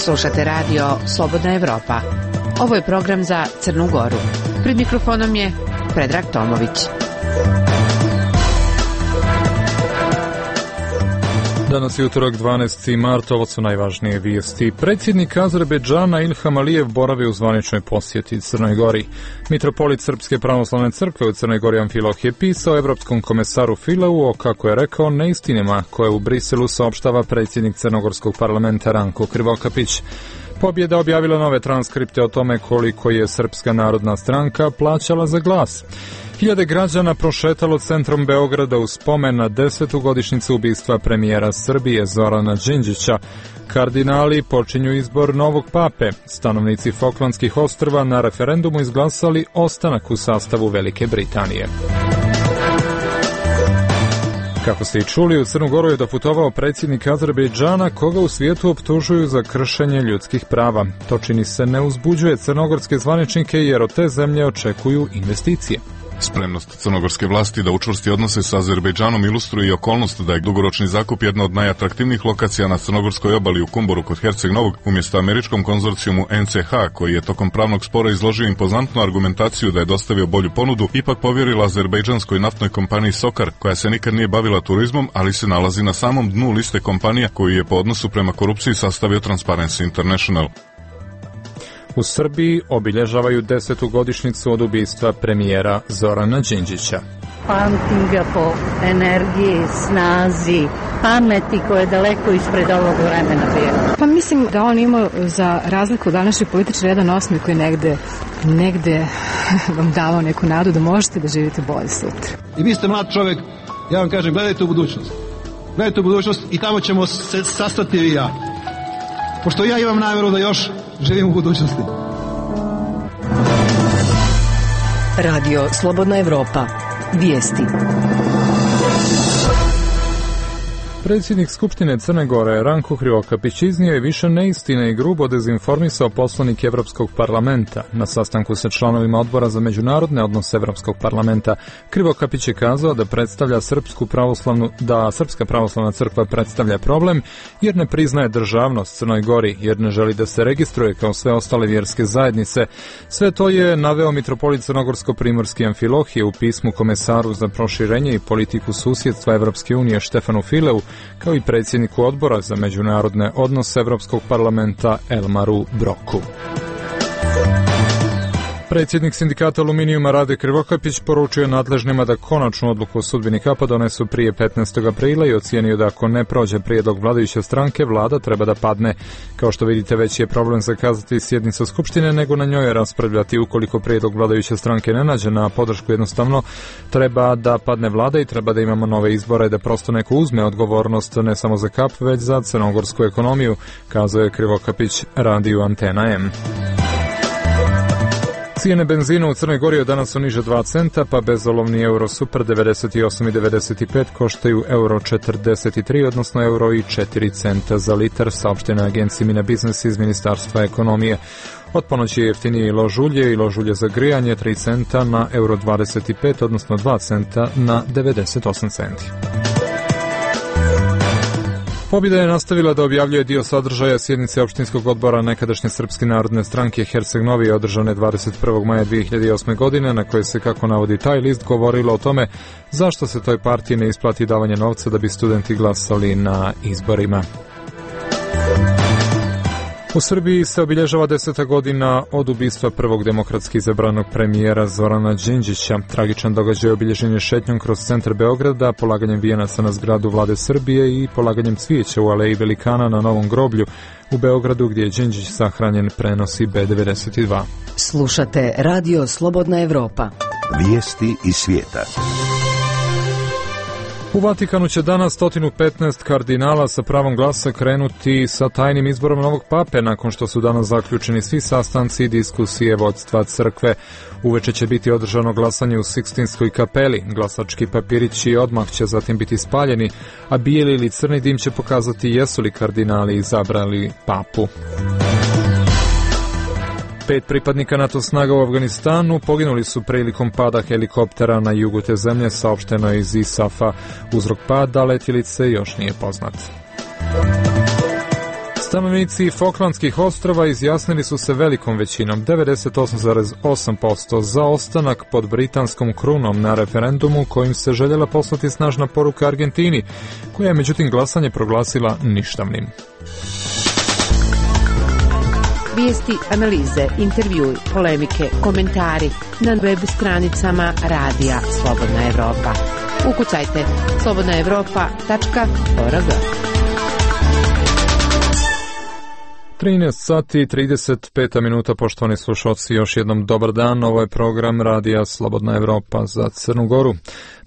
Slušate radio Slobodna Evropa. Ovo je program za Crnu Goru. Pred mikrofonom je Predrag Tomović. Danas je utorak 12. mart, ovo su najvažnije vijesti. Predsjednik Azerbejdžana Ilham Alijev boravi u zvaničnoj posjeti Crnoj Gori. Mitropolit Srpske pravoslavne crkve u Crnoj Gori Amfiloh je pisao evropskom komesaru Fileu o, kako je rekao, neistinama koje u Briselu saopštava predsjednik Crnogorskog parlamenta Ranko Krivokapić. Pobjeda objavila nove transkripte o tome koliko je Srpska narodna stranka plaćala za glas. Hiljade građana prošetalo centrom Beograda u spomen na 10. godišnjicu ubistva premijera Srbije Zorana Đinđića. Kardinali počinju izbor novog pape. Stanovnici Falklandskih ostrva na referendumu izglasali ostanak u sastavu Velike Britanije. Kako ste i čuli, u Crnu Goru je doputovao predsjednik Azerbejdžana, koga u svijetu optužuju za kršenje ljudskih prava. To čini se ne uzbuđuje crnogorske zvaničnike jer od te zemlje očekuju investicije. Spremnost crnogorske vlasti da učvrsti odnose sa Azerbejdžanom ilustruje i okolnost da je dugoročni zakup jedna od najatraktivnijih lokacija na crnogorskoj obali u Kumboru kod Herceg Novog umjesto američkom konzorcijumu NCH, koji je tokom pravnog spora izložio impozantnu argumentaciju da je dostavio bolju ponudu, ipak povjerila azerbejdžanskoj naftnoj kompaniji Sokar, koja se nikad nije bavila turizmom, ali se nalazi na samom dnu liste kompanija koju je po odnosu prema korupciji sastavio Transparency International. U Srbiji obilježavaju 10. godišnjicu od ubistva premijera Zorana Đinđića. Pamtim ga po energiji, snazi, pameti koja je daleko ispred ovog vremena bila. Pa mislim da on imao, za razliku od današnjih političara, jedan osmih koji negde vam davao neku nadu da možete da živite bolje sutra. I vi ste mlad čovjek, ja vam kažem, gledajte u budućnost. Gledajte u budućnost i tamo ćemo se sastati vi i ja. Pošto ja imam namjeru da još živim u budućnosti. Radio Slobodna Evropa. Vijesti. Predsjednik Skupštine Crne Gore Ranko Krivokapić iznio je više neistine i grubo dezinformisao poslanik Evropskog parlamenta. Na sastanku sa članovima odbora za međunarodne odnose Evropskog parlamenta Krivokapić je kazao da predstavlja Srpska pravoslavna crkva predstavlja problem jer ne priznaje državnost Crnoj Gori, jer ne želi da se registruje kao sve ostale vjerske zajednice. Sve to je naveo mitropolit Crnogorsko-primorski Amfilohije u pismu komesaru za proširenje i politiku susjedstva Evropske unije Štefanu Fileu, kao i predsjedniku odbora za međunarodne odnose Evropskog parlamenta Elmaru Broku. Predsjednik sindikata aluminijuma Rade Krivokapić poručio nadležnima da konačnu odluku o sudbini kapa donesu prije 15. aprila i ocijenio da ako ne prođe prijedlog vladajuće stranke, vlada treba da padne. Kao što vidite, veći je problem zakazati sjednicu Skupštine nego na njoj raspravljati. Ukoliko prijedlog vladajuće stranke ne nađe na podršku, jednostavno treba da padne vlada i treba da imamo nove izbore, da prosto neko uzme odgovornost ne samo za kap, već za crnogorsku ekonomiju, kazao je Krivokapić radiju Antena M. Cijene benzina u Crnoj Gori od danas su niže 2 centa, pa bezolovni euro super 98,95 koštaju euro 43, odnosno euro i 4 centa za litar, saopštena agencija Mina Biznes iz Ministarstva ekonomije. Od ponoći je jeftinije i lož ulje za grijanje 3 centa na euro 25, odnosno 2 centa na 98 centi. Pobjeda je nastavila da objavljuje dio sadržaja sjednice opštinskog odbora nekadašnje Srpske narodne stranke Herceg Novi održane 21. maja 2008. godine, na kojoj se, kako navodi taj list, govorilo o tome zašto se toj partiji ne isplati davanje novca da bi studenti glasali na izborima. U Srbiji se obilježava 10. godina od ubistva prvog demokratski izabranog premijera Zorana Đinđića. Tragičan događaj obilježen je šetnjom kroz centar Beograda, polaganjem vijenaca na zgradu Vlade Srbije i polaganjem cvijeća u aleji Velikana na Novom groblju u Beogradu, gdje je Đinđić sahranjen, prenosi B92. Slušate Radio Slobodna Evropa. Vijesti iz svijeta. U Vatikanu će danas 115 kardinala sa pravom glasa krenuti sa tajnim izborom novog pape, nakon što su danas zaključeni svi sastanci i diskusije vodstva crkve. Uveče će biti održano glasanje u Sikstinskoj kapeli. Glasački papirići odmah će zatim biti spaljeni, a bijeli ili crni dim će pokazati jesu li kardinali izabrali papu. 5 pripadnika NATO snaga u Afganistanu poginuli su prilikom pada helikoptera na jugu te zemlje, saopšteno je iz ISAF-a. Uzrok pada letjelice još nije poznat. Stanovnici Falklandskih ostrava izjasnili su se velikom većinom, 98,8% za ostanak pod britanskom krunom na referendumu kojim se željela poslati snažna poruka Argentini, koja je međutim glasanje proglasila ništavnim. Vijesti, analize, intervjui, polemike, komentari na web stranicama Radija Slobodna Evropa. Ukucajte slobodnaevropa.org. 13 sati i 35 minuta, poštovani slušalci, još jednom dobar dan. Ovo je program Radija Slobodna Evropa za Crnu Goru.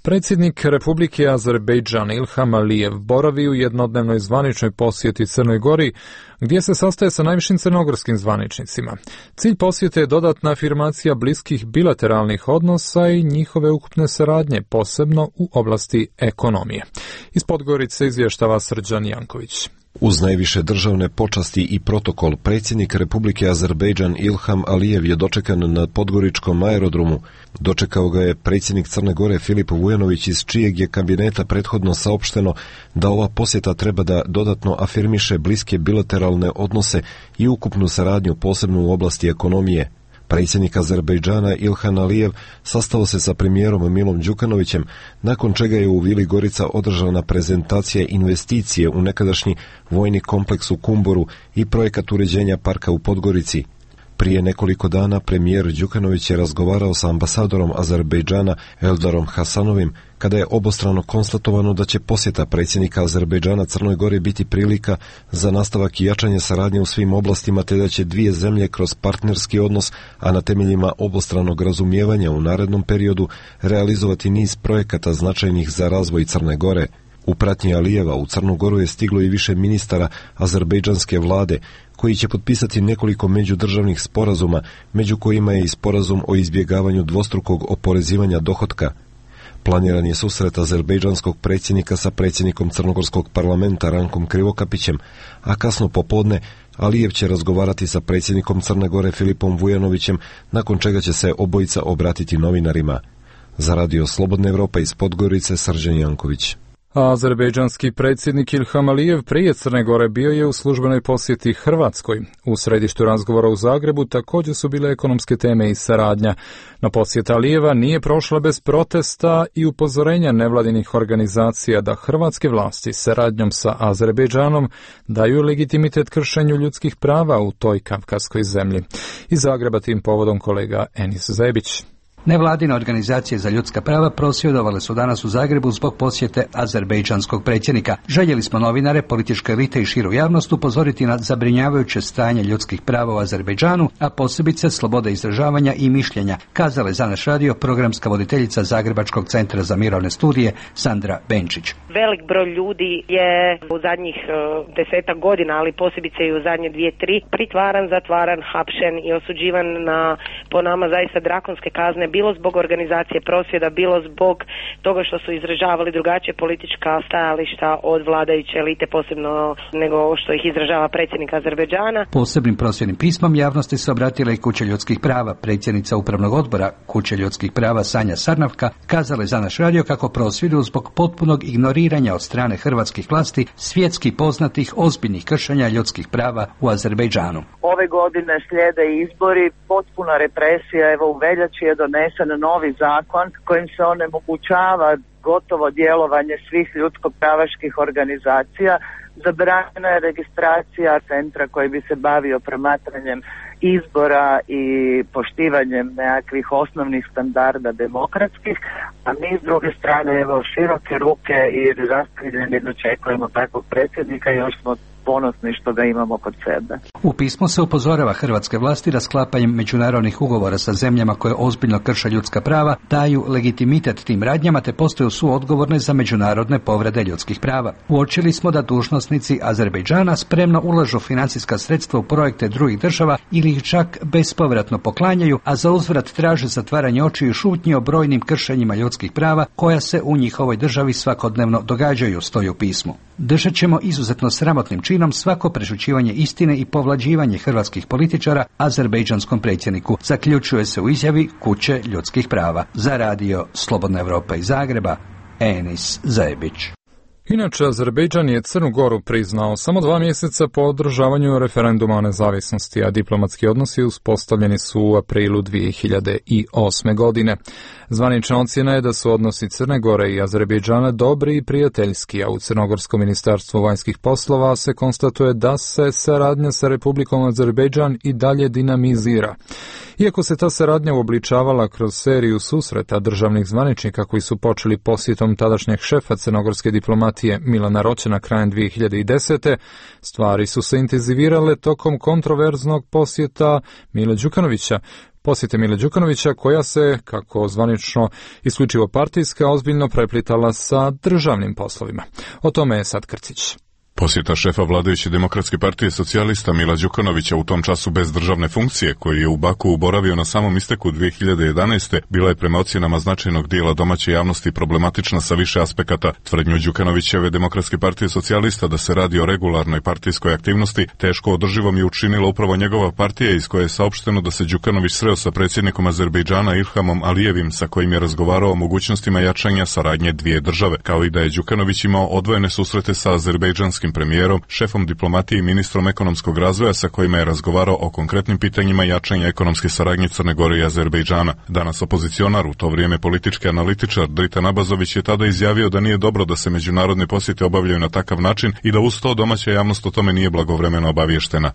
Predsjednik Republike Azerbejdžan Ilham Alijev boravi u jednodnevnoj zvaničnoj posjeti Crnoj Gori, gdje se sastaje sa najvišim crnogorskim zvaničnicima. Cilj posjete je dodatna afirmacija bliskih bilateralnih odnosa i njihove ukupne saradnje, posebno u oblasti ekonomije. Iz Podgorice izvještava Srđan Janković. Uz najviše državne počasti i protokol, predsjednik Republike Azerbejdžan Ilham Alijev je dočekan na podgoričkom aerodromu. Dočekao ga je predsjednik Crne Gore Filip Vujanović, iz čijeg je kabineta prethodno saopšteno da ova posjeta treba da dodatno afirmiše bliske bilateralne odnose i ukupnu saradnju, posebno u oblasti ekonomije. Predsjednik Azerbejdžana Ilham Alijev sastao se sa premijerom Milom Đukanovićem, nakon čega je u Vili Gorica održana prezentacija investicije u nekadašnji vojni kompleks u Kumboru i projekat uređenja parka u Podgorici. Prije nekoliko dana premijer Đukanović je razgovarao sa ambasadorom Azerbejdžana Eldarom Hasanovim, kada je obostrano konstatovano da će posjeta predsjednika Azerbejdžana Crnoj Gori biti prilika za nastavak i jačanje saradnje u svim oblastima, te da će dvije zemlje kroz partnerski odnos, a na temeljima obostranog razumijevanja u narednom periodu, realizovati niz projekata značajnih za razvoj Crne Gore. U pratnji Alijeva u Crnu Goru je stiglo i više ministara azerbejdžanske vlade, koji će potpisati nekoliko međudržavnih sporazuma, među kojima je i sporazum o izbjegavanju dvostrukog oporezivanja dohotka. Planiran je susret azerbejdžanskog predsjednika sa predsjednikom Crnogorskog parlamenta Rankom Krivokapićem, a kasno popodne Alijev će razgovarati sa predsjednikom Crne Gore Filipom Vujanovićem, nakon čega će se obojica obratiti novinarima. Za Radio Slobodna Evropa iz Podgorice, Srđan Janković. Azerbejdžanski predsjednik Ilham Alijev prije Crne Gore bio je u službenoj posjeti Hrvatskoj. U središtu razgovora u Zagrebu također su bile ekonomske teme i saradnja. No posjeta Alijeva nije prošla bez protesta i upozorenja nevladinih organizacija da hrvatske vlasti saradnjom sa Azerbejdžanom daju legitimitet kršenju ljudskih prava u toj kavkaskoj zemlji. Iz Zagreba tim povodom kolega Enis Zebić. Nevladine organizacije za ljudska prava prosvjedovale su danas u Zagrebu zbog posjete azerbejdžanskog predsjednika. Željeli smo novinare, političke elite i širu javnost upozoriti na zabrinjavajuće stanje ljudskih prava u Azerbejdžanu, a posebice slobode izražavanja i mišljenja, kazala je za naš radio programska voditeljica Zagrebačkog centra za mirovne studije Sandra Benčić. Velik broj ljudi je u zadnjih 10 godina, ali posebice i u zadnje 2-3, pritvaran, zatvaran, hapšen i osuđivan na, po nama, zaista drakonske kazne, bilo zbog organizacije prosvjeda, bilo zbog toga što su izražavali drugačije politička stajališta od vladajuće elite, posebno nego što ih izražava predsjednik Azerbejdžana. Posebnim prosvjednim pismom javnosti se obratila i Kuća ljudskih prava. Predsjednica Upravnog odbora Kuće ljudskih prava Sanja Sarnavka kazala je za naš radio kako prosvjeduju zbog potpunog ignoriranja od strane hrvatskih vlasti svjetski poznatih ozbiljnih kršenja ljudskih prava u Azerbejdžanu. Ove godine slijede izbori, potpuna represija, evo u veljači je donesen novi zakon kojim se onemogućava gotovo djelovanje svih ljudsko-pravaških organizacija, zabranjena je registracija centra koji bi se bavio promatranjem izbora i poštivanjem nekakvih osnovnih standarda demokratskih, a mi s druge strane evo široke ruke i raskriljeni dočekujemo takvog predsjednika i još smo ponosni što ga imamo kod sebe. U pismu se upozorava hrvatske vlasti da sklapanjem međunarodnih ugovora sa zemljama koje ozbiljno krše ljudska prava daju legitimitet tim radnjama te postaju suodgovorne za međunarodne povrede ljudskih prava. Uočili smo da dužnosnici Azerbejdžana spremno ulažu financijska sredstva u projekte drugih država ili ih čak bespovratno poklanjaju, a za uzvrat traže zatvaranje očiju i šutnji o brojnim kršenjima ljudskih prava koja se u njihovoj državi svakodnevno događaju, stoji u pismu. Držat ćemo izuzetno sramotnim činom svako prešućivanje istine i povlađivanje hrvatskih političara azerbejdžanskom predsjedniku, zaključuje se u izjavi Kuće ljudskih prava. Za radio Slobodna Evropa iz Zagreba, Enis Zebić. Inače, Azerbejdžan je Crnu Goru priznao samo 2 mjeseca po održavanju referenduma o nezavisnosti, a diplomatski odnosi uspostavljeni su u aprilu 2008. godine. Zvanična ocjena je da su odnosi Crne Gore i Azerbejdžana dobri i prijateljski, a u Crnogorskom ministarstvu vanjskih poslova se konstatuje da se saradnja sa Republikom Azerbejdžan i dalje dinamizira. Iako se ta saradnja uobličavala kroz seriju susreta državnih zvaničnika koji su počeli posjetom tadašnjeg šefa crnogorske diplomatije Milana Roćena krajem 2010. stvari su se intenzivirale tokom kontroverznog posjeta Mile Đukanovića. Posjete Mile Đukanovića koja se, kako zvanično isključivo partijska, ozbiljno preplitala sa državnim poslovima. O tome je sad Krcić. Posjeta šefa vladajuće Demokratske partije socijalista Mila Đukanovića u tom času bez državne funkcije, koji je u Baku boravio na samom isteku 2011. bila je prema ocjenama značajnog dijela domaće javnosti problematična sa više aspekata. Tvrdnju Đukanovićeve Demokratske partije socijalista da se radi o regularnoj partijskoj aktivnosti teško održivom je učinila upravo njegova partija, iz koje je saopšteno da se Đukanović sreo sa predsjednikom Azerbejdžana Ilhamom Alijevim, sa kojim je razgovarao o mogućnostima jačanja saradnje dvije države, kao i da je Đukanović imao odvojene susrete sa azerbejdžanskim premijerom, šefom diplomatije i ministrom ekonomskog razvoja sa kojima je razgovarao o konkretnim pitanjima jačanja ekonomske saradnje Crne Gore i Azerbejdžana. Danas opozicionar, u to vrijeme politički analitičar Dritan Abazović je tada izjavio da nije dobro da se međunarodne posjete obavljaju na takav način i da uz to domaća javnost o tome nije blagovremeno obaviještena.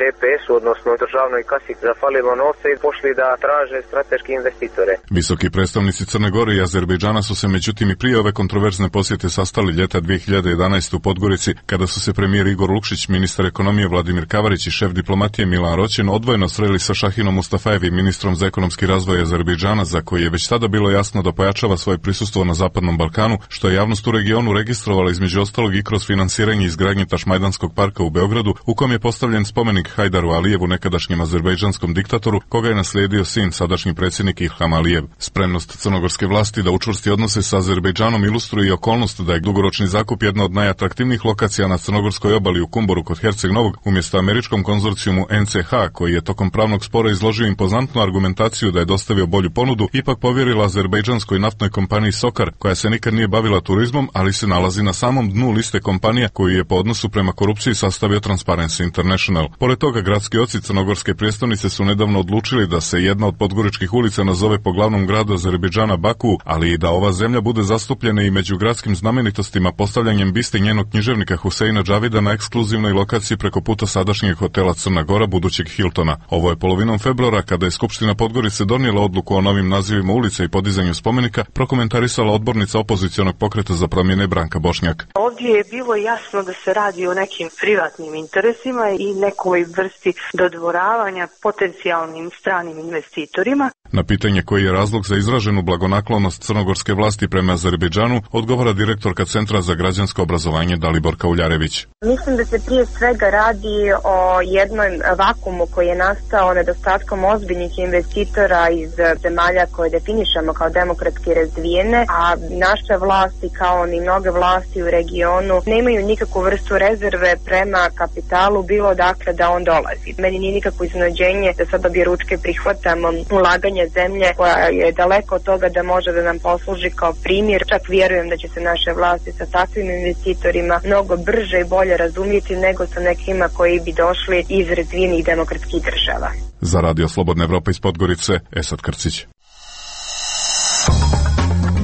DPS-u, odnosno državnoj kasi, zafalilo novce i pošli da traže strateške investitore. Visoki predstavnici Crne Gore i Azerbejdžana su se međutim i prije ove kontroverzne posjete sastali ljeta 2011. u Podgorici, kada su se premijer Igor Lukšić, ministar ekonomije Vladimir Kavarić i šef diplomatije Milan Roćen odvojeno sreli sa Šahinom Mustafajevim, ministrom za ekonomski razvoj Azerbejdžana, za koji je već tada bilo jasno da pojačava svoje prisustvo na Zapadnom Balkanu, što je javnost u regionu registrovala između ostalog i kroz finansiranje izgradnje Tašmajdanskog parka u Beogradu, u kom je postavljen spomenik Hajdaru Alijevu, nekadašnjem azerbejdžanskom diktatoru, koga je naslijedio sin, sadašnji predsjednik Ilham Alijev. Spremnost crnogorske vlasti da učvrsti odnose sa Azerbejdžanom ilustruje i okolnost da je dugoročni zakup jedna od najatraktivnijih lokacija na crnogorskoj obali u Kumboru kod Herceg Novog, umjesto američkom konzorcijumu NCH, koji je tokom pravnog spora izložio impozantnu argumentaciju da je dostavio bolju ponudu, ipak povjerila azerbejdžanskoj naftnoj kompaniji Sokar, koja se nikad nije bavila turizmom, ali se nalazi na samom dnu liste kompanija koju je po odnosu prema korupciji sastavio Transparency International. Pored toga, gradski oci crnogorske prijestolnice su nedavno odlučili da se jedna od podgoričkih ulica nazove po glavnom gradu Azerbejdžana Baku, ali i da ova zemlja bude zastupljena i među gradskim znamenitostima postavljanjem biste njenog književnika Huseina Džavida na ekskluzivnoj lokaciji preko puta sadašnjeg hotela Crna Gora, budućeg Hiltona. Ovo je polovinom februara, kada je Skupština Podgorice donijela odluku o novim nazivima ulica i podizanju spomenika, prokomentarisala odbornica opozicionog pokreta za promjene Branka Bošnjak. Ovdje je bilo jasno da se radi o nekim privatnim interesima i nekoj vrsti dodvoravanja potencijalnim stranim investitorima. Na pitanje koji je razlog za izraženu blagonaklonost crnogorske vlasti prema Azerbejdžanu odgovara direktorka Centra za građansko obrazovanje Dalibor Kauljarević. Mislim da se prije svega radi o jednom vakumu koji je nastao nedostatkom ozbiljnih investitora iz zemalja koje definišemo kao demokratski razvijene, a naše vlasti kao ni mnoge vlasti u regionu nemaju nikakvu vrstu rezerve prema kapitalu, bilo dakle da on dolazi. Meni nije nikakvo iznenađenje da sada objeručke prihvatamo ulaganje zemlje koja je daleko od toga da može da nam posluži kao primjer. Čak vjerujem da će se naše vlasti sa takvim investitorima mnogo brže i bolje razumjeti nego sa nekima koji bi došli iz razvijenih demokratskih država. Za Radio Slobodna Evropa iz Podgorice, Esad Krcić.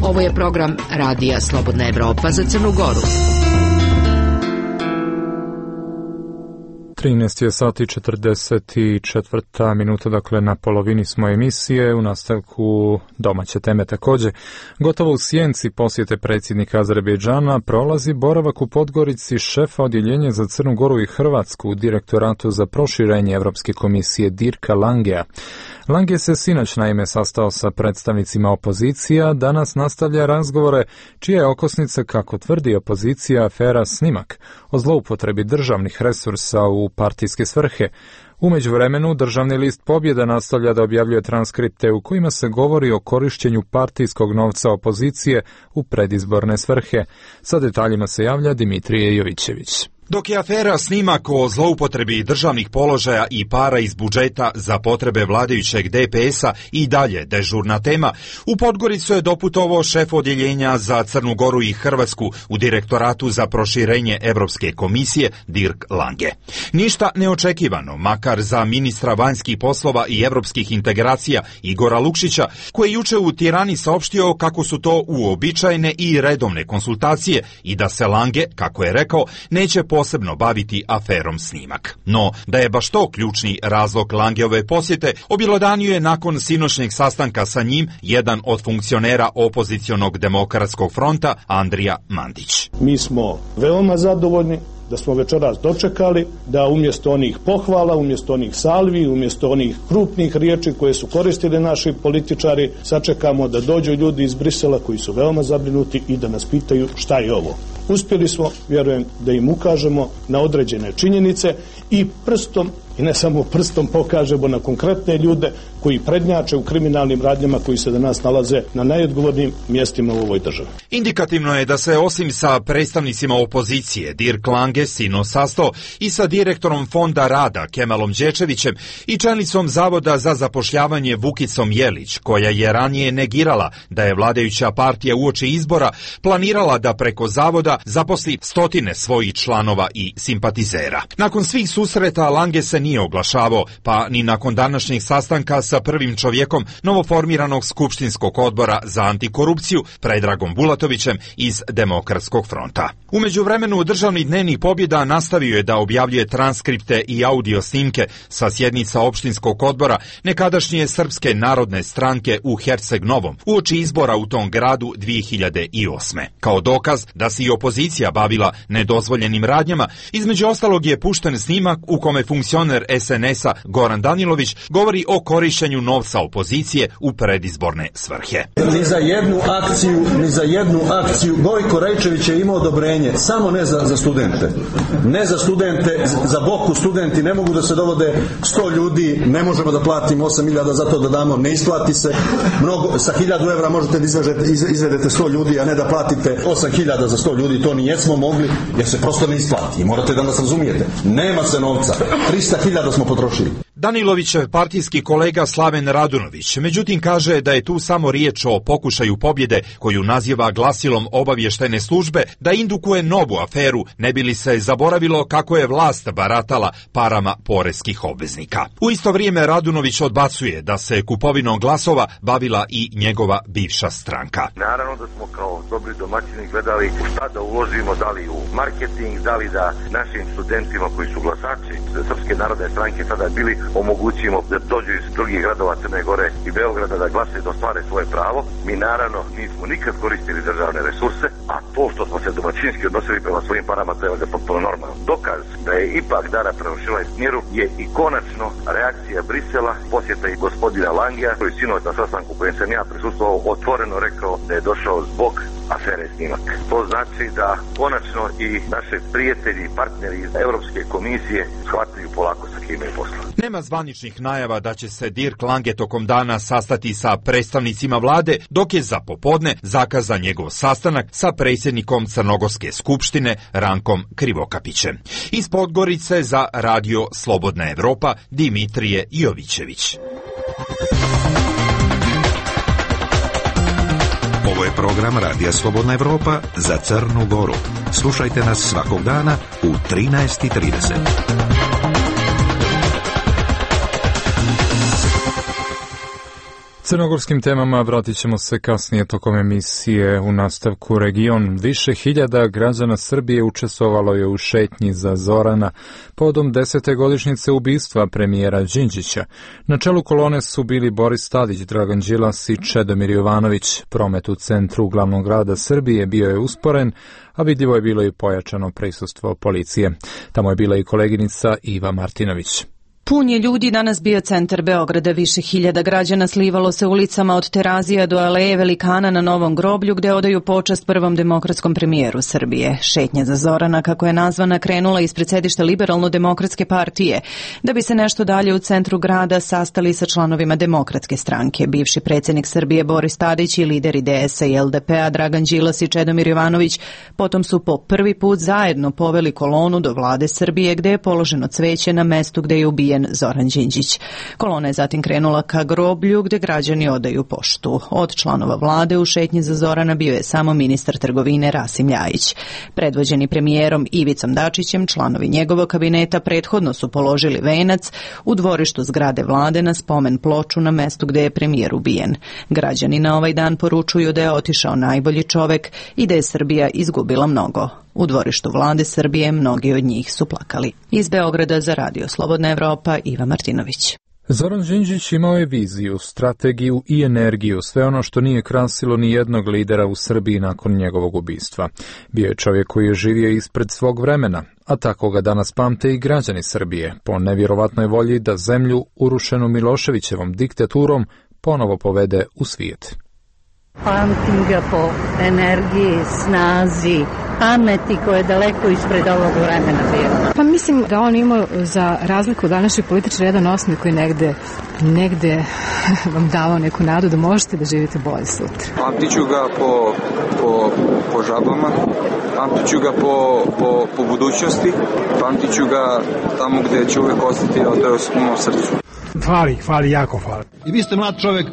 Ovo je program Radija Slobodna Evropa za Crnu Goru. 13 je sati 44 minuta, dakle na polovini smo emisije, u nastavku domaće teme također. Gotovo u sjenci posjete predsjednika Azerbejdžana prolazi boravak u Podgorici šefa odjeljenja za Crnu Goru i Hrvatsku u direktoratu za proširenje Europske komisije Dirka Langea. Lange se sinoć naime sastao sa predstavnicima opozicija, danas nastavlja razgovore čija je okosnica, kako tvrdi opozicija, afera Snimak o zloupotrebi državnih resursa u partijske svrhe. U međuvremenu Državni list Pobjeda nastavlja da objavljuje transkripte u kojima se govori o korištenju partijskog novca opozicije u predizborne svrhe. Sa detaljima se javlja Dimitrije Jovićević. Dok je afera snimak o zloupotrebi državnih položaja i para iz budžeta za potrebe vladajućeg DPS-a i dalje dežurna tema, u Podgoricu je doputovao šef odjeljenja za Crnu Goru i Hrvatsku u Direktoratu za proširenje Evropske komisije Dirk Lange. Ništa neočekivano, makar za ministra vanjskih poslova i evropskih integracija Igora Lukšića, koji je juče u Tirani saopštio kako su to uobičajene i redovne konsultacije i da se Lange, kako je rekao, neće posebno baviti aferom snimak. No, da je baš to ključni razlog Langeove posjete, objelodanio je nakon sinoćnjeg sastanka sa njim jedan od funkcionera opozicionog demokratskog fronta, Andrija Mandić. Mi smo veoma zadovoljni da smo večeras dočekali da umjesto onih pohvala, umjesto onih salvi, umjesto onih krupnih riječi koje su koristili naši političari, sačekamo da dođu ljudi iz Brisela koji su veoma zabrinuti i da nas pitaju šta je ovo. Uspjeli smo, vjerujem, da im ukažemo na određene činjenice i prstom, i ne samo prstom, pokažemo na konkretne ljude koji prednjače u kriminalnim radnjama koji se danas nalaze na najodgovornijim mjestima u ovoj državi. Indikativno je da se osim sa predstavnicima opozicije Dirk Lange sino sastao i sa direktorom Fonda rada Kemalom Đečevićem i čelnicom Zavoda za zapošljavanje Vukicom Jelić, koja je ranije negirala da je vladajuća partija uoči izbora planirala da preko Zavoda zaposli stotine svojih članova i simpatizera. Nakon svih susreta Lange se nije oglašavao, pa ni nakon današnjeg sastanka sa prvim čovjekom novoformiranog skupštinskog odbora za antikorupciju Predragom Bulatovićem iz Demokratskog fronta. U međuvremenu državni dnevnik Pobjeda nastavio je da objavljuje transkripte i audio snimke sa sjednica opštinskog odbora nekadašnje Srpske narodne stranke u Herceg Novom uoči izbora u tom gradu 2008. Kao dokaz da se i opozicija bavila nedozvoljenim radnjama, između ostalog je pušten snimak u kome funkcioner SNS-a Goran Danilović govori o korišćenju novca opozicije u predizborne svrhe. Ni za jednu akciju Gojko Rajčević je imao odobrenje, samo ne za studente. Ne za studente, za Boku studenti ne mogu da se dovode 100 ljudi, ne možemo da platimo 8.000 za to da damo, ne isplati se. Sa 1.000 evra možete da izvedete 100 ljudi, a ne da platite 8.000 za 100 ljudi, to nijesmo mogli, jer se prosto ne isplati. Morate da nas razumijete. Nema se novca. 300.000 smo potrošili. Danilovićev partijski kolega Slaven Radunović, međutim, kaže da je tu samo riječ o pokušaju pobjede koju naziva glasilom obavještene službe da indukuje novu aferu, ne bi li se zaboravilo kako je vlast baratala parama poreskih obveznika. U isto vrijeme Radunović odbacuje da se kupovinom glasova bavila i njegova bivša stranka. Naravno da smo kao dobri domaćini gledali šta da uložimo, da li u marketing, da li da našim studentima koji su glasači Srpske narodne stranke sada bili omogućimo da dođu iz drugih gradova Crne Gore i Beograda da glasaju, da ostvare svoje pravo. Mi naravno nismo nikad koristili državne resurse, a to što smo se domaćinski odnosili prema svojim parama, to je potpuno normalno. Dokaz da je ipak Dara prevršila smjeru je i konačno reakcija Brisela, posjeta i gospodina Langea, koji sinoć na sastanku kojem sam ja prisustvovao otvoreno rekao da je došao zbog afere snimak. To znači da konačno i naše prijatelji i partneri iz Europske komisije shvataju polako sa kim je posla. Nema zvaničnih najava da će se Dirk Lange tokom dana sastati sa predstavnicima vlade, dok je za popodne zakazan njegov sastanak sa predsjednikom Crnogorske skupštine Rankom Krivokapićem. Iz Podgorice za Radio Slobodna Evropa Dimitrije Jovićević. Ovo je program Radija Slobodna Evropa za Crnu Goru. Slušajte nas svakog dana u 13:30. Crnogorskim temama vratit ćemo se kasnije tokom emisije. U nastavku region. Više hiljada građana Srbije učestvovalo je u šetnji za Zorana povodom 10. godišnjice ubistva premijera Đinđića. Na čelu kolone su bili Boris Tadić, Dragan Đilas i Čedomir Jovanović. Promet u centru glavnog grada Srbije bio je usporen, a vidljivo je bilo i pojačano prisustvo policije. Tamo je bila i koleginica Iva Martinović. Pun je ljudi danas bio centar Beograda, više hiljada građana slivalo se ulicama od Terazija do Aleje Velikana na Novom groblju gde odaju počast prvom demokratskom premijeru Srbije. Šetnja za Zorana, kako je nazvana, krenula ispred sedišta Liberalno-demokratske partije, da bi se nešto dalje u centru grada sastali sa članovima Demokratske stranke. Bivši predsjednik Srbije Boris Tadić i lideri DS-a i LDP-a Dragan Đilas i Čedomir Jovanović potom su po prvi put zajedno poveli kolonu do vlade Srbije gde je položeno cveće na mestu gde je ubijen Zoran Đinđić. Kolona je zatim krenula ka groblju gde građani odaju poštu. Od članova vlade u šetnji za Zorana bio je samo ministar trgovine Rasim Ljajić. Predvođeni premijerom Ivicom Dačićem, članovi njegovog kabineta prethodno su položili venac u dvorištu zgrade vlade na spomen ploču na mestu gde je premijer ubijen. Građani na ovaj dan poručuju da je otišao najbolji čovek i da je Srbija izgubila mnogo. U dvorištu vlade Srbije mnogi od njih su plakali. Iz Beograda za Radio Slobodna Evropa, Iva Martinović. Zoran Đinđić imao je viziju, strategiju i energiju, sve ono što nije krasilo ni jednog lidera u Srbiji nakon njegovog ubistva. Bio je čovjek koji je živio ispred svog vremena, a tako ga danas pamte i građani Srbije, po nevjerovatnoj volji da zemlju urušenu Miloševićevom diktaturom ponovo povede u svijet. Pamtim ga po energiji, snazi, pameti koja je daleko ispred ovog vremena bila. Pa mislim da on imao, za razliku od današnjih političara, jedan osmijeh koji negde vam davao neku nadu da možete da živite bolje sutra. Pamtiću ga po žabama, pamtiću ga po budućnosti, pamtiću ga tamo gde će uvek ostati odeo u mom srcu. Fali, jako fali. I vi ste mlad čovek,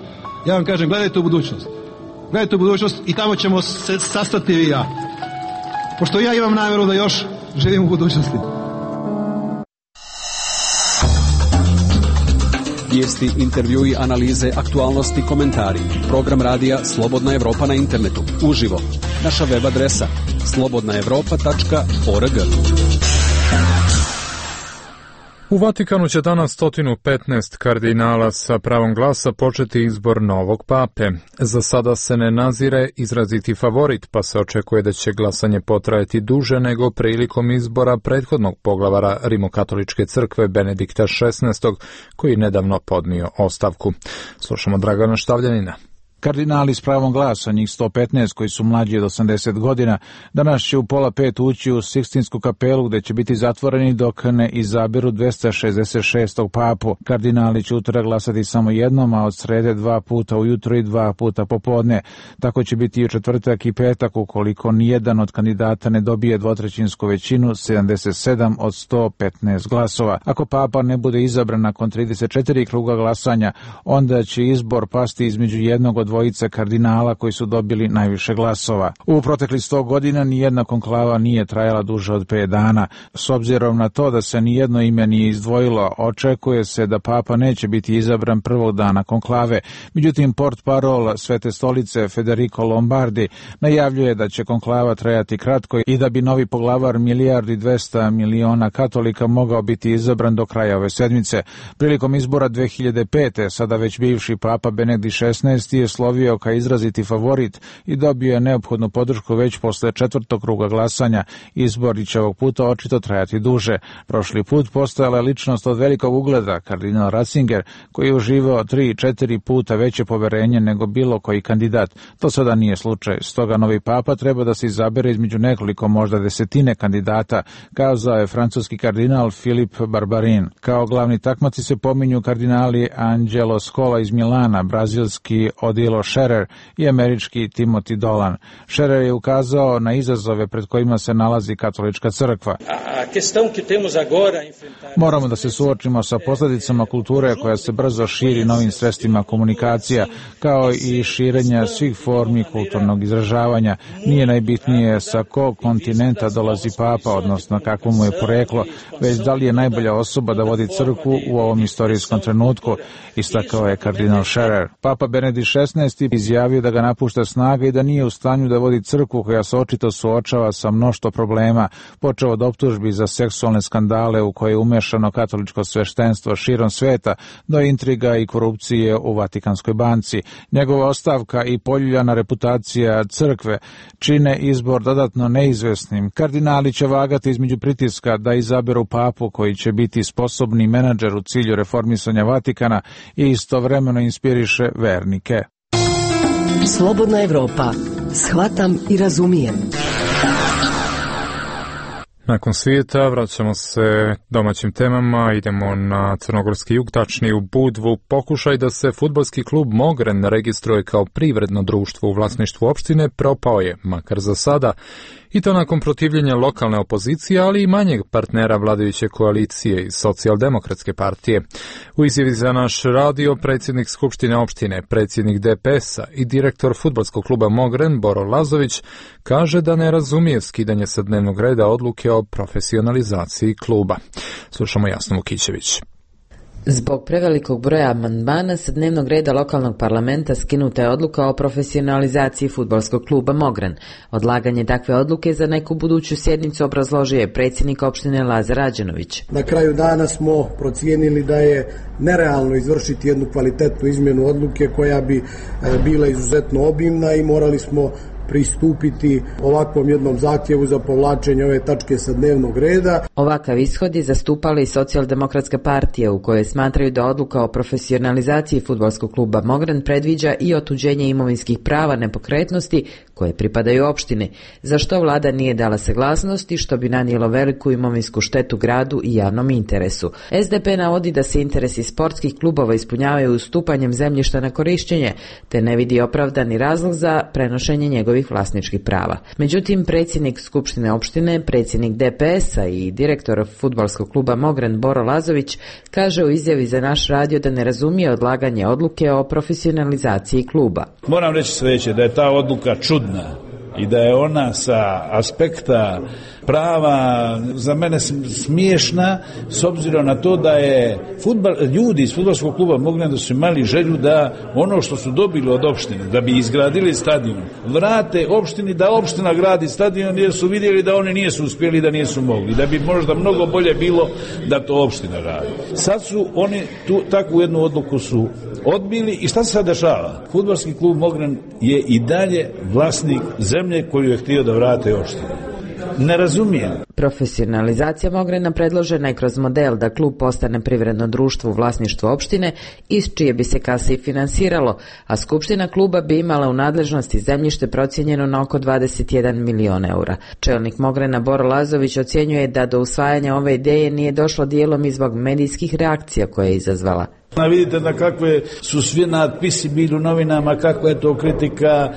ja vam kažem, gledajte u budućnost. Gledajte u budućnost i tamo ćemo se sastati i ja. Pošto ja imam namjeru da još živim u budućnosti. Vijesti, intervjui, analize, aktualnosti, komentari. Program radija Slobodna Evropa na internetu. Uživo. Naša web adresa slobodnaevropa.org. U Vatikanu će danas 115 kardinala sa pravom glasa početi izbor novog pape. Za sada se ne nazire izraziti favorit, pa se očekuje da će glasanje potrajati duže nego prilikom izbora prethodnog poglavara Rimokatoličke crkve Benedikta XVI, koji nedavno podnio ostavku. Slušamo Dragana Štavljanina. Kardinali s pravom glasa, njih 115 koji su mlađi od 80 godina, danas će u 4:30 ući u Sikstinsku kapelu gde će biti zatvoreni dok ne izaberu 266. papu. Kardinali će utorak glasati samo jednom, a od srede 2 puta ujutro i 2 puta popodne. Tako će biti i u četvrtak i petak ukoliko nijedan od kandidata ne dobije dvotrećinsku većinu, 77 od 115 glasova. Ako papa ne bude izabran nakon 34 kruga glasanja, onda će izbor pasti između jednog od dvojice kardinala koji su dobili najviše glasova. U proteklih 100 godina nijedna konklava nije trajala duže od 5 dana. S obzirom na to da se nijedno ime nije izdvojilo, očekuje se da papa neće biti izabran prvog dana konklave. Međutim, portparol Svete stolice Federico Lombardi najavljuje da će konklava trajati kratko i da bi novi poglavar 1,2 milijardi katolika mogao biti izabran do kraja ove sedmice. Prilikom izbora 2005. sada već bivši papa Benedikt XVI je slovio kao izraziti favorit i dobio je neophodnu podršku već posle 4. kruga glasanja. Izbor će ovog puta očito trajati duže. Prošli put postojala je ličnost od velikog ugleda, kardinal Ratzinger, koji je uživao 3-4 puta veće poverenje nego bilo koji kandidat. To sada nije slučaj. Stoga novi papa treba da se izabere između nekoliko, možda desetine kandidata, kazao je francuski kardinal Filip Barbarin. Kao glavni takmaci se pominju kardinali Angelo Scola iz Milana, brazilski Odilo Scherer i američki Timothy Dolan. Scherer je ukazao na izazove pred kojima se nalazi katolička crkva. Moramo da se suočimo sa posljedicama kulture koja se brzo širi novim sredstvima komunikacija, kao i širenja svih formi kulturnog izražavanja. Nije najbitnije sa kog kontinenta dolazi papa, odnosno kakvo mu je poreklo, već da li je najbolja osoba da vodi crkvu u ovom istorijskom trenutku, istakao je kardinal Scherer. Papa Benedikt 16. izjavio da ga napušta snaga i da nije u stanju da vodi crkvu koja se očito suočava sa mnoštvo problema, počeo od optužbi za seksualne skandale u koje je umešano katoličko sveštenstvo širom sveta do intriga i korupcije u Vatikanskoj banci. Njegova ostavka i poljuljana reputacija crkve čine izbor dodatno neizvesnim. Kardinali će vagati između pritiska da izaberu papu koji će biti sposobni menadžer u cilju reformisanja Vatikana i istovremeno inspiriše vernike. Slobodna Evropa. Shvatam i razumijem. Nakon svijeta vraćamo se domaćim temama, idemo na crnogorski jug, tačnije u Budvu. Pokušaj da se fudbalski klub Mogren registruje kao privredno društvo u vlasništvu opštine propao je, makar za sada, i to nakon protivljenja lokalne opozicije, ali i manjeg partnera vladajuće koalicije iz Socijaldemokratske partije. U izjavi za naš radio predsjednik Skupštine opštine, predsjednik DPS-a i direktor fudbalskog kluba Mogren Boro Lazović kaže da ne razumije skidanje sa dnevnog reda odluke o profesionalizaciji kluba. Slušamo Jasnu Vukićević. Zbog prevelikog broja amandmana sa dnevnog reda lokalnog parlamenta skinuta je odluka o profesionalizaciji fudbalskog kluba Mogren. Odlaganje takve odluke za neku buduću sjednicu obrazložio je predsjednik opštine Lazar Rađenović. Na kraju dana smo procijenili da je nerealno izvršiti jednu kvalitetnu izmjenu odluke koja bi bila izuzetno obimna i morali smo pristupiti ovakvom jednom zahtjevu za povlačenje ove tačke sa dnevnog reda. Ovakav ishod je zastupala i Socijaldemokratska partija u kojoj smatraju da odluka o profesionalizaciji fudbalskog kluba Mogren predviđa i otuđenje imovinskih prava nepokretnosti koje pripadaju opštini, za što vlada nije dala saglasnosti, što bi nanijelo veliku imovinsku štetu gradu i javnom interesu. SDP navodi da se interesi sportskih klubova ispunjavaju ustupanjem zemljišta na korišćenje, te ne vidi opravdani razlog za prenošenje njegovih vlasničkih prava. Međutim, predsjednik Skupštine opštine, predsjednik DPS-a i direktor fudbalskog kluba Mogren Boro Lazović kaže u izjavi za naš radio da ne razumije odlaganje odluke o profesionalizaciji kluba. Moram reći sljedeće, da je ta odluka čudna i da je ona sa aspekta prava za mene smiješna, s obzirom na to da je ljudi iz fudbalskog kluba Mogren da su imali želju da ono što su dobili od opštine, da bi izgradili stadion, vrate opštini, da opština gradi stadion, jer su vidjeli da oni nisu uspjeli, da nisu mogli, da bi možda mnogo bolje bilo da to opština radi. Sad su oni takvu jednu odluku su odbili i šta se sad dešava? Fudbalski klub Mogren je i dalje vlasnik zemlje koju je htio da vrate opštine. Ne razumijem. Profesionalizacija Mogrena predložena je kroz model da klub postane privredno društvo u vlasništvu opštine, iz čije bi se kase i finansiralo, a skupština kluba bi imala u nadležnosti zemljište procijenjeno na oko 21 milion eura. Čelnik Mogrena Boro Lazović ocjenjuje da do usvajanja ove ideje nije došlo dijelom i zbog medijskih reakcija koje je izazvala. Vidite da kakve su svi natpisi bili u novinama, kakva je to kritika,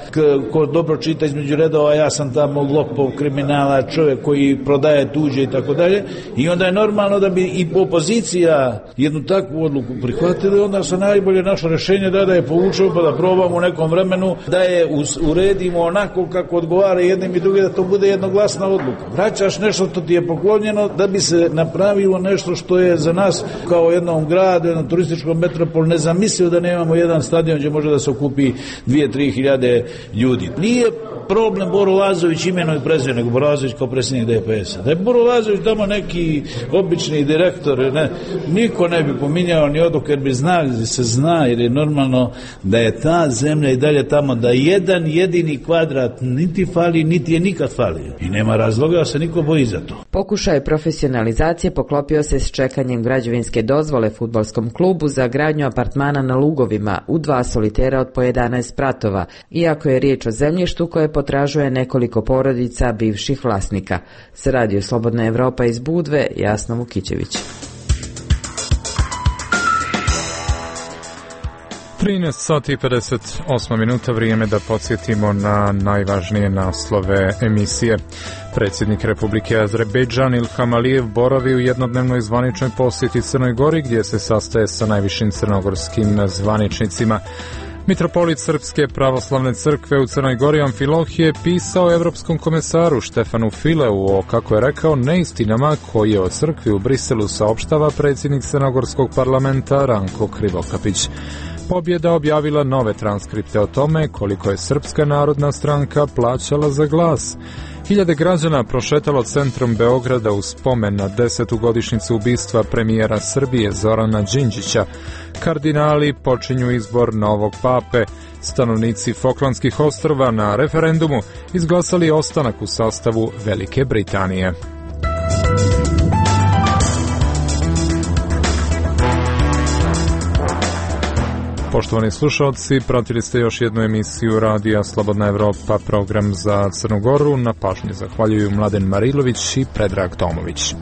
ko dobro čita između redova, ja sam tamo lopov, kriminala, čovjek koji prodaje tuđe i tako dalje. I onda je normalno da bi i opozicija jednu takvu odluku prihvatili, onda se najbolje naše rješenje da je povučemo pa da probamo u nekom vremenu da je uredimo onako kako odgovara jednim i drugim, da to bude jednoglasna odluka. Vraćaš nešto što ti je poklonjeno da bi se napravilo nešto što je za nas kao jednom gradu, jednom turističkom metropol nezamislivo da nemamo jedan stadion gdje može da se okupi 2-3 hiljade ljudi. Nije problem Boro Lazović imenom i prezimenom, nego Boro Lazović kao predsjednik DPS-a. Da je Boro Lazović tamo neki obični direktor, niko ne bi pominjao ni odluke, jer bi znali, se zna, jer je normalno da je ta zemlja i dalje tamo, da jedan jedini kvadrat niti fali, niti je nikad falio. I nema razloga da se niko boji za to. Pokušaj profesionalizacije poklopio se s čekanjem građevinske dozvole fudbalskom klubu za gradnju apartmana na Lugovima u 2 solitera od po 11 spratova, iako je riječ o zemljištu koje potražuje nekoliko porodica bivših vlasnika. S radio Slobodna Evropa iz Budve, Jasna Vukićević. 13 sati i 58 minuta, vrijeme da podsjetimo na najvažnije naslove emisije. Predsjednik Republike Azerbejdžan Ilham Alijev boravi u jednodnevnoj zvaničnoj posjeti Crnoj Gori, gdje se sastaje sa najvišim crnogorskim zvaničnicima. Mitropolit Srpske pravoslavne crkve u Crnoj Gori Amfilohije pisao Evropskom komesaru Štefanu Fileu o, kako je rekao, neistinama koje o crkvi u Briselu saopštava predsjednik Crnogorskog parlamenta Ranko Krivokapić. Pobjeda objavila nove transkripte o tome koliko je Srpska narodna stranka plaćala za glas. Hiljade građana prošetalo centrom Beograda u spomen na 10. godišnjicu ubistva premijera Srbije Zorana Đinđića. Kardinali počinju izbor novog pape. Stanovnici Foklandskih ostrva na referendumu izglasali ostanak u sastavu Velike Britanije. Poštovani slušalci, pratili ste još jednu emisiju Radija Slobodna Evropa, program za Crnu Goru. Na pažnji zahvaljuju Mladen Marilović i Predrag Tomović.